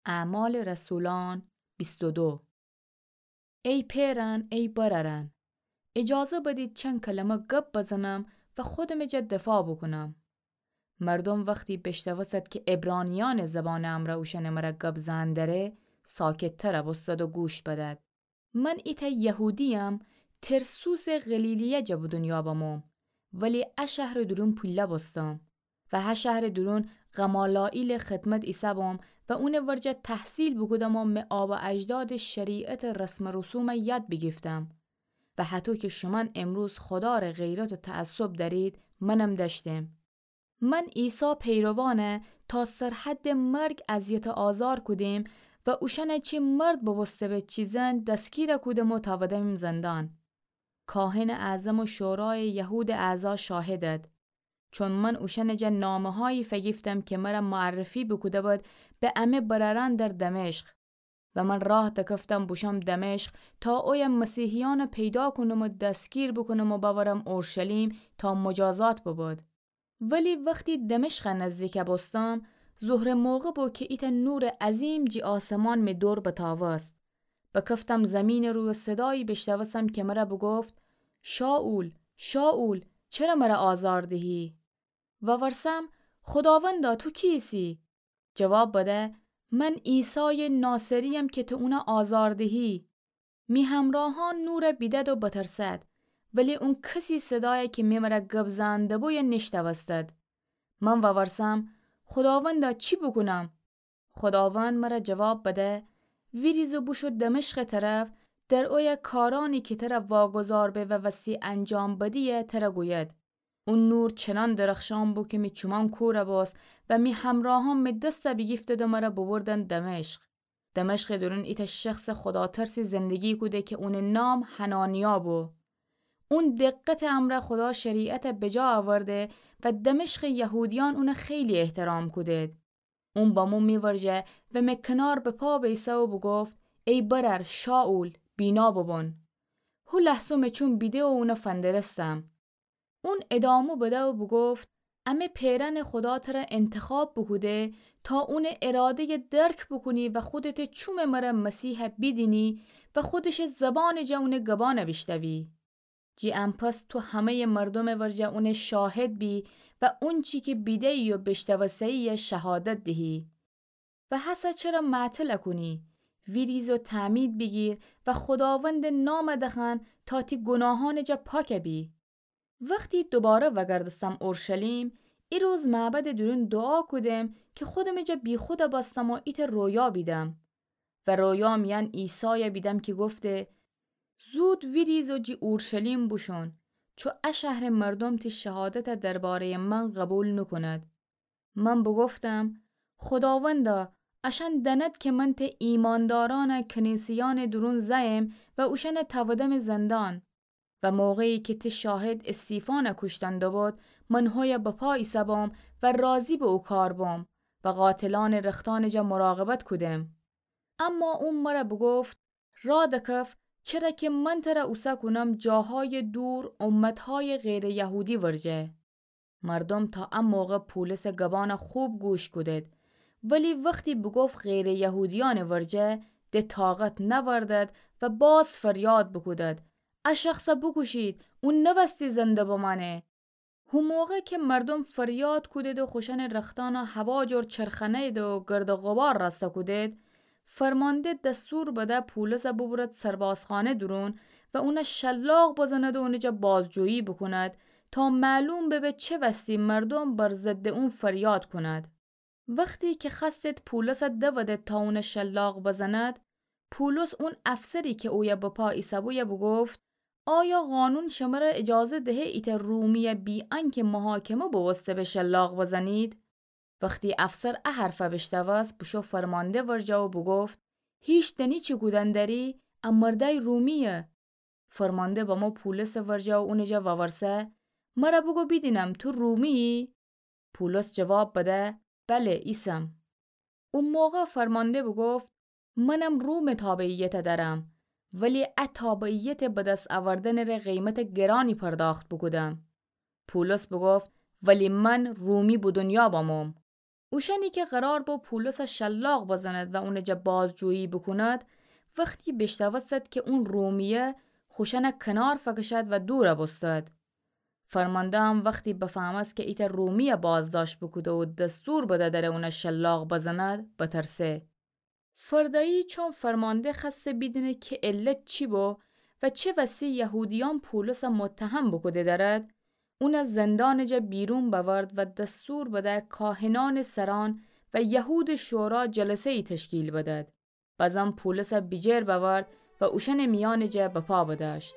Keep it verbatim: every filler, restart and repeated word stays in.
اعمال رسولان بیست و دو. ای پئرأن، ای برأرأن، ایجازه بدید چند کلمه گب بزنم و خودمٚ جا دفاع بوکونم. مردوم وختی بیشنوستد کی عبرانیأنٚ زبانٚ امرأ اوشأنٚ مرأ گب زئن دره، ساکت‌تر بوستد و گوش بدد. من ایتأ یهودییم، ترسوسٚ غلیلیه جا به دونیا بموم، ولی ا شهرٚ دورون پیله بوستم و ه شهرٚ دورون غمالائیلٚ خدمت ایسه‌بوم و اونٚ ورجه تحصیل بوکودم و می آبا اجدادٚ شریعتٚ رسم و رسومه یاد بیگیفتم و هطو کی شومأن امروز خودارٚ غیرت و تعصب دأرید، منم دأشتم. من عیسی پیروانه تا سرحدٚ مرگ اذیت و آزار کودیم و اوشأنه چی مرد بوبوسته به چی زن دستگیر کودم و تأودیم زندان. کاهنٚ اعظم و شورایٚ یهودٚ اعضا شاهدد، چون من اوشأنٚ جا نامه‌هایی فگیفتم کی مرأ معرفی بوکوده بد به امه برأرأن در دمشق. و من راه دکفتم بوشوم دمشق تا اویه مسیحیأنه پیدا کونم و دستگیر بوکونم و بأورم اورشلیم تا مجازات ببد. ولی وختی دمشقه نزدیک بوستم، ظهرٚ موقع بو کی ایتأ نورٚ عظیم جی آسمان می دور بتأوست. بکفتم زیمینٚ روی و صدایی بیشنوستم کی مرأ بوگفت: شائول، شائول، چره مرأ آزار دهی؟ وورسم: خوداوندا، تو کی ایسی؟ جواب بده: من عیسایٚ ناصری‌یم کی تو اونه آزار دهی. می همراهأن نور بیدد و بترسد، ولی اون کسی صدای کی می مرأ گب زئن دبویه نیشنوستد. من وورسم: خوداوندا، چی بوکونم؟ خوداوند مرأ جواب بده: ویریز و بوشو دمشقٚ طرف، در اویه کارأنی کی ترأ واگذار به و وستی انجام بدیی ترأ گوید. او نور چنان درخشان بو کی می چومأن کور بوست و می همراهأن می دست بیگیفتد و مرأ ببردن دمشق. دمشقٚ دورون ایتأ شخصٚ خوداترسی زندگی کوده کی اونٚ نام حنانیا بو. اون دقتٚ امرأ خودا شریعت بجا آورده و دمشقٚ یهودیأن اونه خیلی احترام کودید. اون بمو می ورجه و می کنار به پا بیسه و بوگفت: ای برأر شائول، بینا ببون. هو لحظه می چوم بیده و اونه فندرستم. اون ادامه بده و بوگفت: امه پئرأنٚ خودا ترأ انتخاب بوکوده تا اونٚ اراده‌یه درک بوکونی و خودتٚ چومٚ مرأ مسیح بیدینی و خودشٚ زبانٚ جا اونٚ گبأن بیشنوی. جی انپس تو همه‌یٚ مردومٚ ورجه اونٚ شاهد بی و اونچی کی بیده‌یی و بیشنوسته‌یی شهادت دهی. و هسه چرا معطل کونی؟ ویریز و تعمید بیگیر و خوداوندٚ نام دخوأن تا تی گوناهأنٚ جا پاک بی. وختی دوباره وگردستم اورشلیم، ای روز معبدٚ دورون دوعا کودم کی خودمٚ جا بیخود بستم و ایتأ رویا بیدم. و رویا میأن عیسای بیدم کی گفته: زود ویریز و جی اورشلیم بوشون، چو ا شهرٚ مردوم تی شهادت درباره‌یٚ من قبول نوکوند. من بوگفتم: خوداوندا، اشأن دأند کی من تی ایماندارأن کنیسه‌یأنٚ دورون زأیم و اوشأن تأودم زندان. و موقعی کی تی شاهد استیفان کوشتن دوبود، من هویه به پا ایسه‌بوم و راضی به او کار بوم و قاتلأنٚ رختأنٚ جا مراقبت کودم. اما او مرأ بوگفت: را دکف، چرا کی من ترأ اوسه کونم جاهایٚ دور، امتهایٚ غیرٚ یهودی ورجه. مردوم تا ا موقع پولسٚ گبأن خوب گوش کودید، ولی وختی بوگفت غیرٚ یهودیأنٚ ورجه، د طاقت نأوردد و باز فریاد بوکودید: ا شخص بوکوشید، او نوستی زنده بمأنه. هو موقع کی مردوم فریاد کودید و خوشأنٚ رختأن هوا جور چرخانید و گرد و غبار رأسته کودید، فرمانده دستور بده پولس ببرد سربازخانه دورون و اون شلاق بزند و اونٚ جا بازجویی بوکوند تا معلوم ببه چه وستی مردوم بر ضدٚ اون فریاد کونید. وختی کی خوأستید پولس دود تا اون شلاق بزند، پولس اون افسری کی اویه به پا ایسه‌بویه بوگفت: آیا قانون شمر اجازه دهه ایتأ رومی بی‌انکه محاکمه بوسته به شلاق بزنید؟ وختی افسر ا حرف بیشنوست، بوشو فرمانده ورجه و بوگفت: هیچ دأنی چی کودن دأری؟ ا مردأی رومییه. فرمانده بمو پولسٚ ورجه و اونٚ جا وورسه: مرأ بوگو بیدینم، تو رومییی؟ پولس جواب بده: بله، ایسم. او موقع فرمانده بوگفت: منم رومٚ تابعیت دأرم، ولی ا تابعیت به دس اوردنٚ ره قیمت گرانی پرداخت بوکودم. پولس بوگفت: ولی من رومی به دونیا بموم. اوشأنی که قرار بو پولسَ شلاق بزند و اونٚ جا بازجویی بوکوند، وختی بیشنوستد که اون رومیه، خوشأنَ کنار فکشد و دورَ بوستد. فرمانده‌ام وختی بفهمست که ایتأ رومیَ بازداشت بوکوده و دستور بده دره اونَ شلاق بزند، بترسه. فردایی چون فرمانده خوأسته بیدینه که علت چی بو و چه وسی یهودیأن پولسَ متهم بوکوده دأرد، اونَ زندانٚ جا بیرون بأورد و دستور بده کاهنأنٚ سرأن و یهودٚ شورا جلسه‌یی تشکیل بدد. بزان پولسَ بیجیر بأورد و اوشأنٚ میأنٚ جا بپا بدأشت.